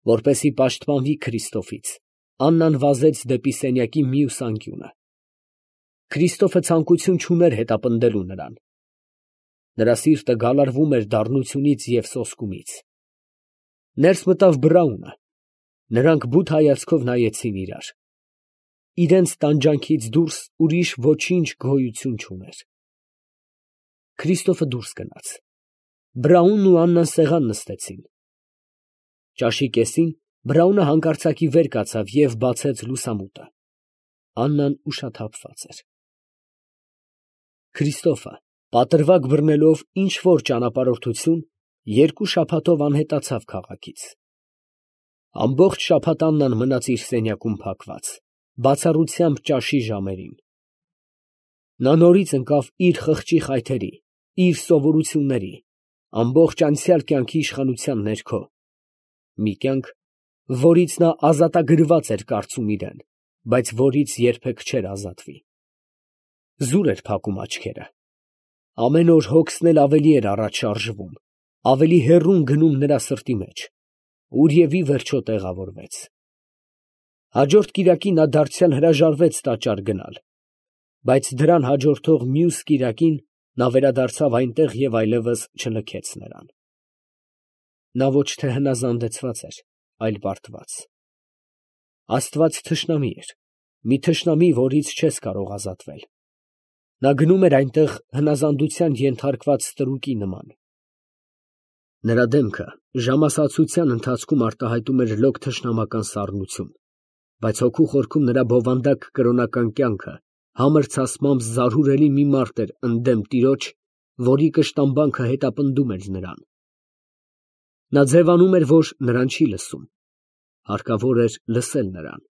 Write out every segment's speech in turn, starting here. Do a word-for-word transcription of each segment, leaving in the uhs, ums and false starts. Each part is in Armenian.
Որպեսզի պաշտպանվի Քրիստոֆից, Աննան վազեց դեպի սենյակի մյուս անկյունը։ Քրիստոֆը ցանկություն չուներ հետապնդելու նրան։ Նրա սիրտը գալարվում էր դառնությունից և սոսկումից։ Ներս մտավ Բրաունը։ Նրանք բութ հայացքով նայեցին իրար։ Իրենց տանջանքից դուրս ուրիշ ոչինչ գոյություն չուներ։ Քրիստոֆը դուրս գնաց։ Բրաունն ու Աննան սեղան նստեցին։ Ճաշի կեսին Բրաունը հանկարծակի վեր կացավ և բացեց լուսամուտը։ Աննան ուշաթափված էր։ Քրիստոֆը, պատրվակ բռնելով ինչ֊որ ճանապարհորդություն, երկու շաբաթով անհետացավ քաղաքից։ Ամբողջ շաբաթ Աննան մնաց իր սենյակում փակված, բացառությամբ ճաշի ժամերին։ Նա նորից ընկավ իր խղճի խայթերի, իր սովորությունների, ամբողջ անցյալ կյանքի իշխանության ներքո, մի կյանք, որից նա ազատագրված էր կարծում իրան, բայց որից երբեք չէր ազատվի։ Զուր էր փակում աչքերը։ Ամեն օր հոգսն էլ ավելի էր առաջ շարժվում, ավելի հեռուն գնում նրա սրտի մեջ, ուր և ի վերջո տեղավորվեց։ Հաջորդ կիրակի նա դարձյալ հրաժարվեց տաճար գնալ, բայց դրան հաջորդող մյուս կիրակին նա վերադարձավ այնտեղ և այլևս չլքեց նրան։ Նա ոչ թե հնազանդեցված էր, այլ պարտված։ Աստված թշնամի էր, մի թշնամի, որից չես կարող ազատվել։ Նա գնում էր այնտեղ հնազանդության ենթարկված ստրուկի նման։ Նրա դեմքը ժամասացության ընթացքում արտահայտում էր լոկ թշնամական սառնություն, բայց հոգու խորքում նրա բովանդակ կրոնական կյանքը համր ցասմամբ զարհուրելի մի մարդ էր ընդդեմ տիրոջ, որի կշտամբանքը հետապնդում էր նրան։ Նա ձևանում էր, որ նրան չի լսում, հարկավոր էր լսել նրան։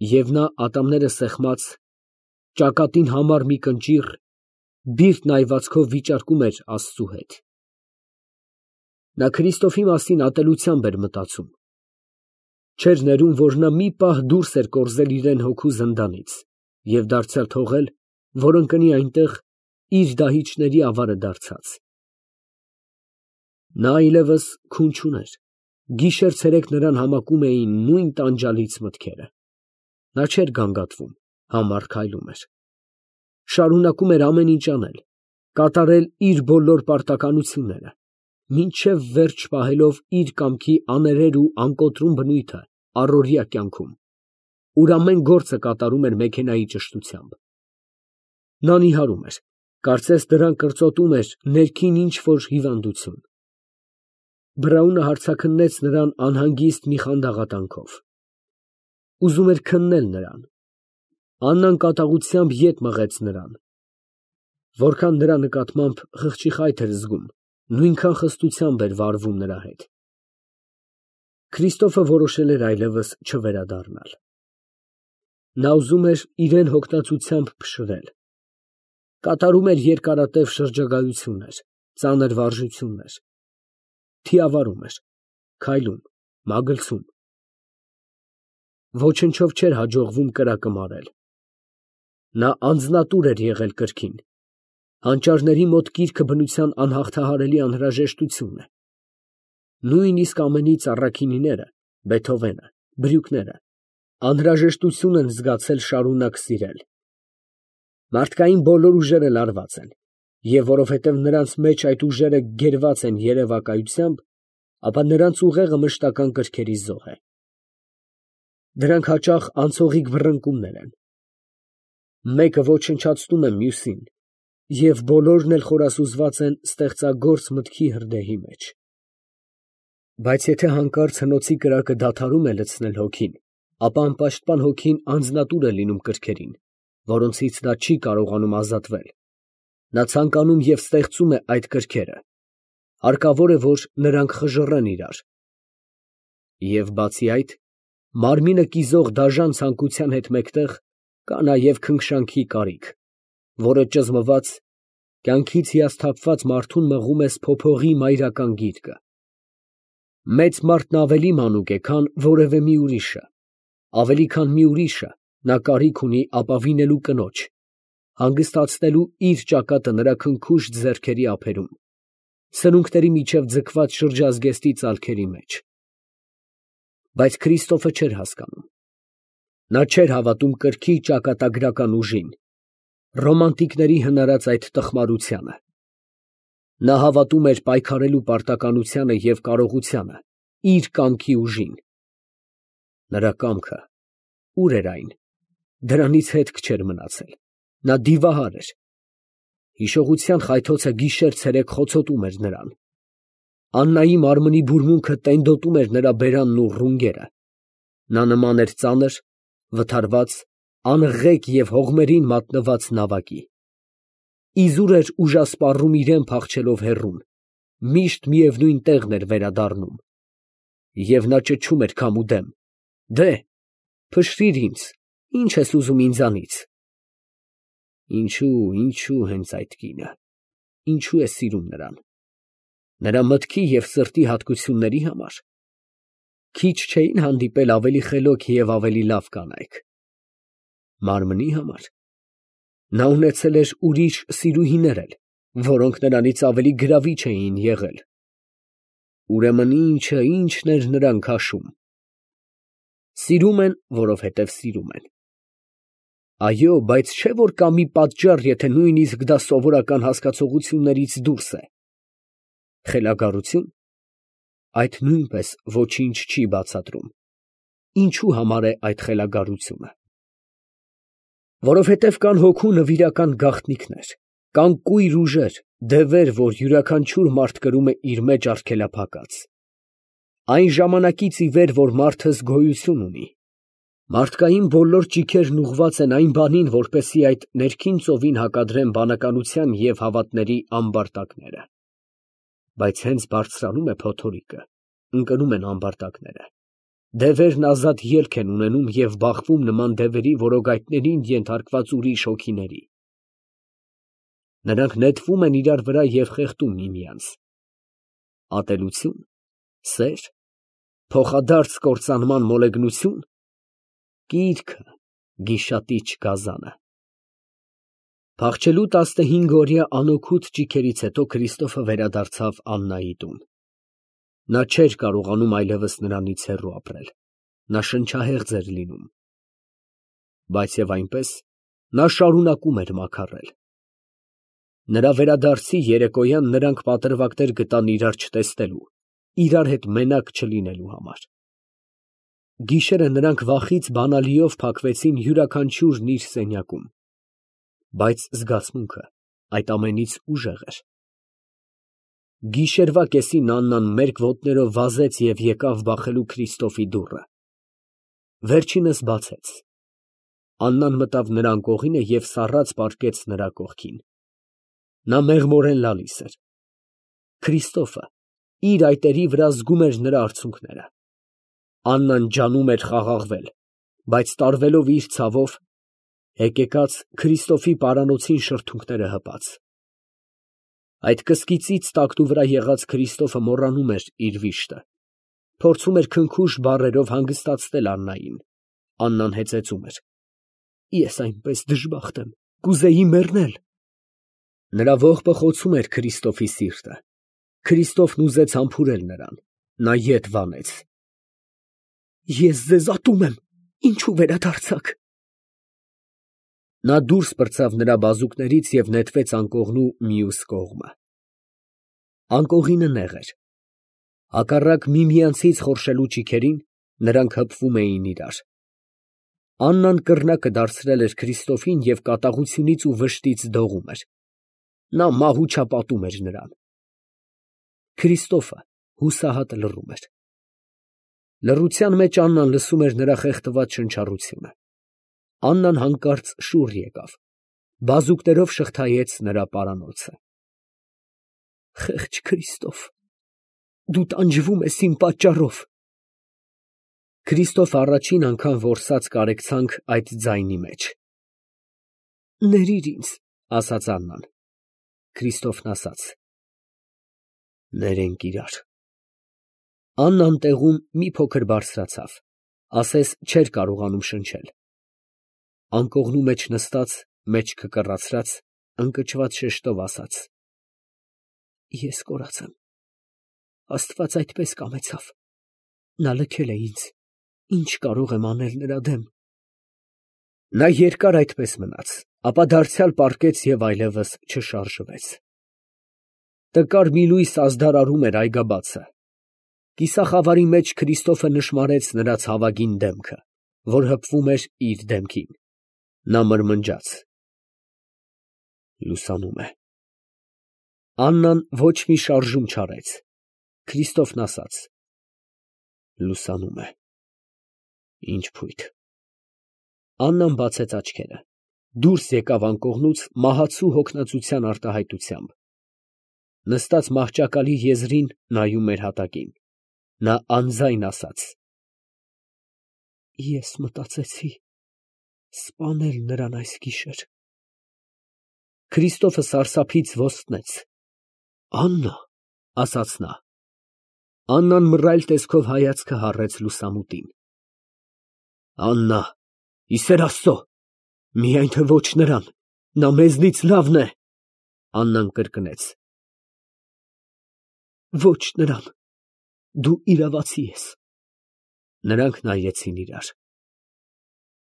Եվ նա ատամները սեղմած, ճակատին համար մի կնճիռ, բիրտ նայվածքով վիճարկում էր Աստծու հետ։ Նա Քրիստոֆի մասին ատելությամբ էր մտածում։ Չէր ներում, որ նա մի պահ դուրս էր կորզել իրան հոգու զնդանից և դարձյալ թողել, որ ընկնի այնտեղ իր դահիճների ավարը դարձած։ Նա այլևս քուն չուներ, գիշեր֊ցերեկ նրան համակում էին նույն տանջալից մտքերը։ Նա չէր գանգատվում, համառ քայլում էր։ Շարունակում էր ամեն ինչ անել, կատարել իր բոլոր պարտականությունները, մինչև վերջ պահելով իր կամքի աներեր ու անկոտրում բնույթը առօրյա կյանքում, ուր ամեն գործը կատարում էր մեքենայի ճշտությամբ։ Նա նիհարում էր, կարծես դրան կրծոտում էր ներքին ինչ֊որ հիվանդություն։ Բրաունը հարցաքննեց նրան անհանգիստ մի խանդաղատանքով։ Ուզում էր քննել նրան։ Աննան կատաղությամբ ետ մղեց նրան։ Որքան նրա նկատմամբ խղճի խայթ էր զգում, նույնքան խստությամբ էր վարվում նրա հետ։ Քրիստոֆը որոշել էր այլևս չվերադառնալ։ Նա ուզում էր իրան հոգնածությամբ փշրել։ Կատարում էր երկարատև շրջագայություններ, ծանր վարժություններ։ Թիավարում էր, քայլում, մագլցում։ Ոչնչով չէր հաջողվում կրակը մարել։ Նա անձնատուր էր եղել կրքին։ Հանճարների մոտ կիրքը բնության անհաղթահարելի անհրաժեշտություն է։ Նույնիսկ ամենից առաքինիները, Բեթհովենը, Բրյուկները անհրաժեշտություն են զգացել շարունակ սիրել։ Մարդկային բոլոր ուժերը լարված են, և որովհետև նրանց մեջ այդ ուժերը գերված են երևակայությամբ, ապա նրանց ուղեղը մշտական կրքերի զոհ է։ Դրանք հաճախ անցողիկ բռնկումներ են։ Մեկը ոչնչացնում է մյուսին, և բոլորն էլ խորասուզված են ստեղծագործ մտքի հրդեհի մեջ։ Բայց եթե հանկարծ հնոցի կրակը դադարում է լցնել հոգին, ապա անպաշտպան հոգին անձնատուր է լինում կրքերին, որոնցից նա չի կարողանում ազատվել։ Նա ցանկանում և ստեղծում է այդ կրքերը։ Հարկավոր է, որ նրանք խժռեն իրար։ Եվ բացի այդ, մարմինը կիզող դաժան ցանկության հետ մեկտեղ կա նաև քնքշանքի կարիք, որը ճզմված, կյանքից հիասթափված մարդուն մղում է սփոփողի մայրական գիրկը։ Մեծ մարդն ավելի մանուկ է, քան որևէ մի ուրիշը, ավելի քան մի ուրիշը նա կարիք ունի ապավինելու կնոջ, հանգստացնելու իր ճակատը նրա քնքուշտ ձեռքերի ափերում, սրունքների միջև ձգված շրջազգեստի ծալքերի մեջ։ Բայց Քրիստոֆը չէր հասկանում։ Նա չէր հավատում կրքի ճակատագրական ուժին, ռոմանտիկների հնարած այդ տխմարությանը։ Նա հավատում էր պայքարելու պարտականությանը և կարողությանը, իր կամքի ուժին։ Նրա կամքը ո՞ւր էր այն, դրանից հետք չէր մնացել, նա դիվահար էր։ Հիշողության խայթոցը գիշեր֊ցերեկ խոցոտում էր նրան։ Աննայի մարմնի բուրմունքը տենդոտում էր նրա բերանն ու ռունգերը։ Նա նման էր ծանր, վթարված, անղղեք և հողմերին մատնված նավակի։ Իզուր էր ուժասպառում իրան փախչելով հեռուն, միշտ միևնույն տեղն էր վերադառնում։ Եվ նա ճչում էր քամուդեմ. «Դե՛հ, փշրիր ինձ, ի՞նչ ես ուզում ինձանից»։ Ինչո՞ւ, ինչո՞ւ հենց այդ կինը, ինչո՞ւ է սիրում նրան։ Նրա մտքի և սրտի հատկությունների համար։ Քիչ չէին հանդիպել ավելի խելոք և ավելի լավ կանայք։ Մարմնի համար։ Նա ունեցել էր ուրիշ սիրուհիներ էլ, որոնք նրանից ավելի գրավիչ էին եղել։ Ուրեմն ի՞նչը, ի՞նչն էր նրան քաշում։ Սիրում են, որովհետև սիրում են։ Այո, բայց չէ՞ որ կա մի պատճառ, եթե նույնիսկ դա սովորական հասկացություններից դուրս է։ Խելագարությո՞ւն։ Այդ նույնպես ոչինչ չի բացատրում։ Ինչու համար է այդ խելագարությունը։ Որովհետև կան հոգու նվիրական գաղտնիքներ, կան կույր ուժեր, դևեր, որ յուրաքանչյուր մարդ կրում է իր մեջ արգելափակած։ Այն ժամանակից ի վեր, որ մարդս գոյություն ունի, մարդկային բոլոր ճիգերն ուղղված են այն բանին, որպեսզի այդ ներքին ծովին հակադրեն բանականության և հավատների ամբարտակները։ Բայց հենց բարձրանում է փոթորիկը, ընկնում են ամբարտակները, դևերն ազատ ելք են ունենում և բախվում նման դևերի որոգայթներին ենթարկված ուրիշ հոգիների։ Նրանք նետվում են իրար վրա և խեղդում միմյանց։ Ատելությո՞ւն, սե՞ր, փոխադարձ կործանման մոլեգնությո՞ւն, կիրքը, գիշատիչ գազանը։ Փախչելու տասնհինգօրյա անօգուտ ճիգերից հետո Քրիստոֆը վերադարձավ Աննայի տուն։ Նա չէր կարողանում այլևս նրանից հեռու ապրել, նա շնչահեղձ էր լինում։ Բայց և այնպես, նա շարունակում էր մաքարել։ Նրա վերադարձի երեկոյան նրանք պատրվակներ գտան իրար չտեսնելու, իրար հետ մենակ չլինելու համար։ Գիշերը նրանք վախից բանալիով փակվեցին յուրաքանչյուրն իր սենյակում։ Բայց զգացմունքը այդ ամենից ուժեղ էր։ Գիշերվա կեսին Աննան մերկ ոտներով վազեց և եկավ բախելու Քրիստոֆի դուռը։ Վերջինս բացեց։ Աննան մտավ նրա անկողինը և սառած պառկեց նրա կողքին։ Նա մեղմորեն լալիս էր։ Քրիստոֆը իր այտերի վրա զգում էր նրա արցունքները։ Աննան ջանում էր խաղաղվել, բայց տարվելով իր ցավով, հեկեկած Քրիստոֆի պարանոցին շրթունքները հպած։ Այդ կսկիծից տակնու վրա եղած Քրիստոֆը մոռանում էր իր վիշտը, փորձում էր քնքուշ բառերով հանգստացնել Աննային։ Աննան հեծեծում էր. «Ես այնպես դժբախտ եմ, կուզեի մեռնել»։ Նրա ողբը խոցում էր Քրիստոֆի սիրտը։ Քրիստոֆն ուզեց համբուրել նրան։ Նա ետ վանեց։ «Ես ձեզ ատում եմ, ինչու վերադարձաք»։ Նա դուրս պրծավ նրա բազուկներից և նետվեց անկողնու մյուս կողմը։ Անկողինը նեղ էր։ Հակառակ միմյանցից խորշելու ճիգերին, նրանք հպվում էին իրար։ Աննան կռնակը դարձրել էր Քրիստոֆին և կատաղությունից ու վշտից դողում էր։ Նա մահուչապատում էր նրան։ Քրիստոֆը հուսահատ լռում էր։ Լռության մեջ Աննան լսում էր նրա խեղդված շնչառությունը։ Աննան հանկարծ շուռ եկավ, բազուկներով շղթայեց նրա պարանոցը։ Խեղճ Քրիստոֆ, դու տանջվում ես իմ պատճառով։ Քրիստոֆը առաջին անգամ որսաց կարեկցանք այդ ձայնի մեջ։ Ներիր ինձ, ասաց Աննան։ Քրիստոֆն ասաց. Ներենք իրար։ Աննան տեղում մի փոքր բարձրացավ, ասես չէր կարողանում շնչել։ Անկողնու մեջ նստած, մեջքը կռացրած, ընկճված շեշտով ասաց. Ես կորած եմ, Աստված այդպես կամեցավ, նա լքել է ինձ։ Ինչ կարող եմ անել նրա դեմ։ Նա երկար այդպես մնաց, ապա դարձյալ պառկեց և այլևս չշարժվեց։ Տկար մի լույս ազդարարում էր այգաբացը։ Կիսախավարի մեջ Քրիստոֆը նշմարեց նրա ցավագին դեմքը, որ հպվում էր իր դեմքին։ Նա մրմնջաց. լուսանում է։ Աննան ոչ մի շարժում չարեց։ Քրիստոֆն ասաց. լուսանում է։ Ինչ փույթ։ Աննան բացեց աչքերը, դուրս եկավ անկողնուց մահացու հոգնածության արտահայտությամբ։ Նստած մահճակալի եզրին նայում էր հատակին։ Նա անձայն ասաց. Ես մտածեցի սպանել նրան այս գիշեր։ Քրիստոֆը սարսափից ոստնեց։ Աննա, ասաց նա։ Աննան մռայլ տեսքով հայացքը հառեց լուսամուտին։ Աննա, ի սեր Աստծո, միայն թե ոչ նրան, նա մեզնից լավն է, Աննան կրկնեց։ Ոչ նրան, դու իրավացի ես։ Նրանք նայեցին իրար։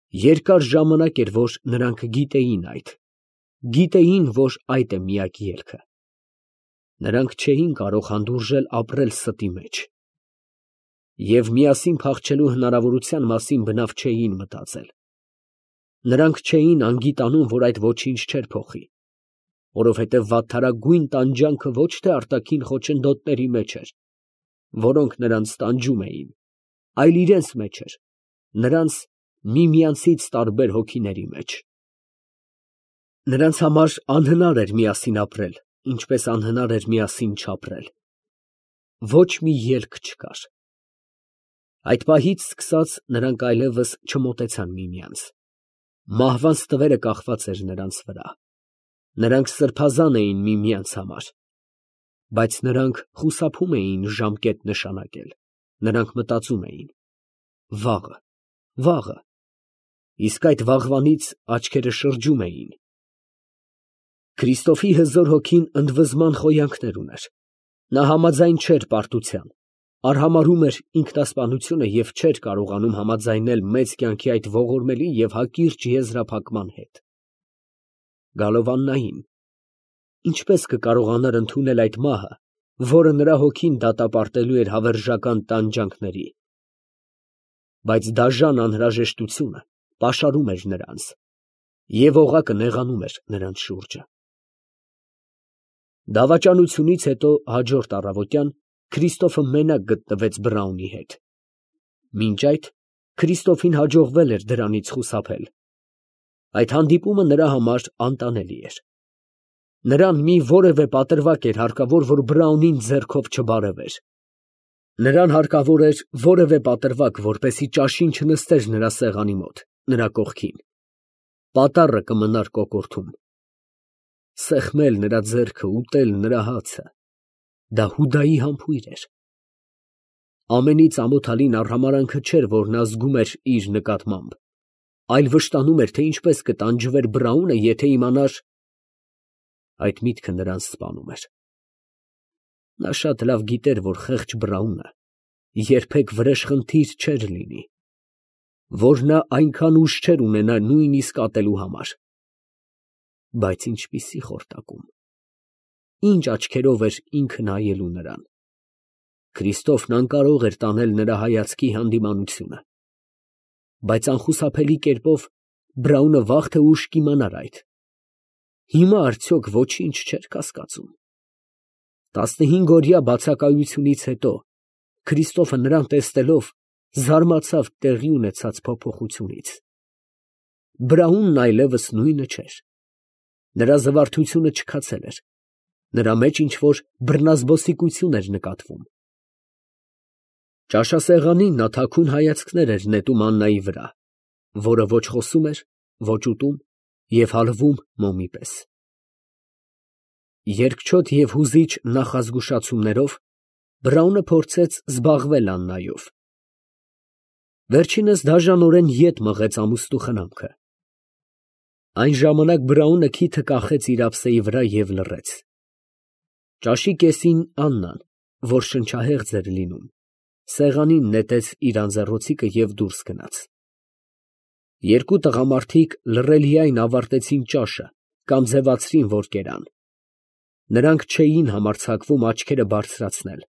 Երկար ժամանակ էր, որ նրանք գիտեին այդ, գիտեին, որ այդ է միակ ելքը։ Նրանք չէին կարող հանդուրժել ապրել ստի մեջ։ Եվ միասին փախչելու հնարավորության մասին բնավ չէին մտածել։ Նրանք չէին անգիտանում, որ այդ ոչինչ չէր փոխի, որովհետև վատթարագույն տանջանքը ոչ թե արտաքին խոչընդոտների մեջ էր, որոնք նրանց տանջում էին, այլ իրենց մեջ էր, նրանց միմյանցից տարբեր հոգիների մեջ։ Նրանց համար անհնար էր միասին ապրել, ինչպես անհնար էր միասին չապրել։ Ոչ մի ելք չկար։ Այդ պահից սկսած նրանք այլևս չմոտեցան միմյանց։ Մահվան ստվերը կախված էր նրանց վրա։ Նրանք սրբազան էին միմյանց համար։ Բայց նրանք խուսափում էին ժամկետ նշանակել։ Նրանք մտածում էին. վաղը, վաղը, իսկ այդ վաղվանից աչքերը շրջում էին։ Քրիստոֆի հզոր հոգին ընդվզման խոյանքներ ուներ։ Նա համաձայն չէր պարտության, արհամարհում էր ինքնասպանությունը և չէր կարողանում համաձայնել մեծ կյանքի այդ ողորմելի և հակիրճ եզրափակման հետ։ Գալով Աննային, ինչպես կկարողանար ընդունել այդ մահը, որը նրա հոգին դատապարտելու էր հավերժական տանջանքների։ Բայց դաժան անհրաժեշտությունը պաշարում էր նրանց, և օղակը նեղանում էր նրանց շուրջը։ Դավաճանությունից հետո հաջորդ առավոտյան Քրիստոֆը մենակ գտնվեց Բրաունի հետ։ Մինչ այդ Քրիստոֆին հաջողվել էր դրանից խուսափել։ Այդ հանդիպումը նրա համար անտանելի էր։ Նրան մի որևէ պատրվակ էր հարկավոր, որ Բրաունին ձեռքով չբարևեր։ Նրան հարկավոր էր որևէ պատրվակ, որպեսզի ճաշին չնստեր նրա սեղանի մոտ, նրա կողքին։ Պատառը կմնար կոկորդում։ Սեղմել նրա ձեռքը, ուտել նրա հացը, դա Հուդայի համբույր էր։ Ամենից ամոթալին արհամարհանքը չէր, որ նա զգում էր իր նկատմամբ, այլ վշտանում էր, թե ինչպես կտանջվեր Բրաունը, եթե իմանար… Այդ միտքը նրան սպանում էր։ Նա շատ լավ գիտեր, որ խեղճ Բրաունը երբեք վրեժխնդիր չէր լինի, որ նա այնքան ուժ չէր ունենա նույնիսկ ատելու համար։ Բայց ինչպիսի խորտակում… Ինչ աչքերով էր ինքը նայելու նրան։ Քրիստոֆն անկարող էր տանել նրա հայացքի հանդիմանությունը։ Բայց անխուսափելի կերպով Բրաունը վաղ թե ուշ կիմանար այդ։ Հիմա արդյոք ոչինչ չէր կասկածում։ Տասնհինգօրյա բացակայությունից հետո Քրիստոֆը նրան տեսնելով զարմացավ տեղի ունեցած փոփոխությունից։ Բրաունն այլևս նույնը չէր։ Նրա զվարթությունը չքացել էր։ Նրա մեջ ինչ-որ բռնազբոսիկություն էր նկատվում։ Ճաշասեղանին նա թաքուն հայացքներ էր նետում Աննայի վրա, որը ոչ խոսում էր, ոչ ուտում և հալվում մոմի պես։ Երկչոտ և հուզիչ նախազգուշացումներով Բրաունը փորձեց զբաղվել Աննայով։ Վերջինս դաժանորեն ետ մղեց ամուստու խնամքը։ Այն ժամանակ Բրաունը քիթը կախեց իր ափսեի վրա և լռեց։ Ճաշի կեսին Աննան, որ շնչահեղձ էր լինում, Սեղանին նետեց իր անձեռնոցիկը և դուրս գնաց։ Երկու տղամարդիկ լռելիայն ավարտեցին ճաշը կամ ձևացրին, որ կերան. նրանք չէին համարձակվում աչքերը բարձրացնել։